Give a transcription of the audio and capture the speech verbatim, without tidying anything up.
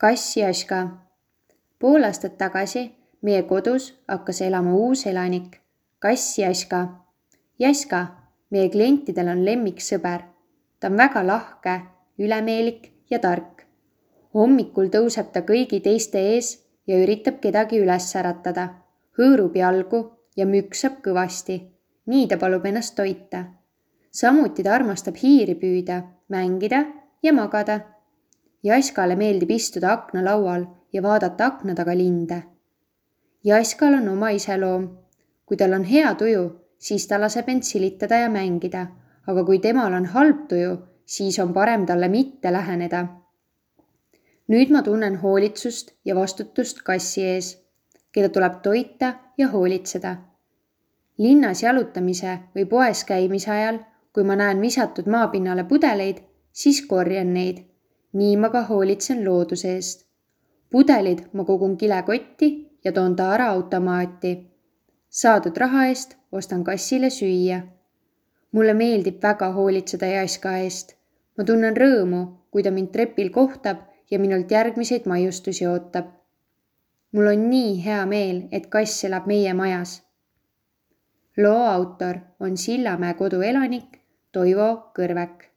Kass Jaska. Pool aastat tagasi meie kodus hakkas elama uus elanik, kass Jaska. Jaska, meie klientidel on lemmiksõber. Ta on väga lahke, ülemeelik ja tark. Hommikul tõuseb ta kõigi teiste ees ja üritab kedagi üles äratada. Hõõrub jalgu ja müksab kõvasti. Nii ta palub ennast toita. Samuti ta armastab hiiri püüda, mängida ja magada. Jaskale meeldib istuda aknalaual ja vaadata akna taga linde. Jaskal on oma iseloom. Kui tal on hea tuju, siis ta laseb end silitada ja mängida, aga kui temal on halb tuju, siis on parem talle mitte läheneda. Nüüd ma tunnen hoolitsust ja vastutust kassi ees, keda tuleb toita ja hoolitseda. Linnas jalutamise või poes käimise ajal, kui ma näen visatud maapinnale pudeleid, siis korjan neid. Nii ma ka hoolitsen looduse eest. Pudelid ma kogun kilekotti ja toon ta ära automaati. Saadud raha eest ostan kassile süüa. Mulle meeldib väga hoolitseda Jaska eest. Ma tunnen rõõmu, kui ta mind trepil kohtab ja minult järgmiseid maiustusi ootab. Mul on nii hea meel, et kass elab meie majas. Loo autor on Sillamäe kodu elanik Toivo Kõrvek.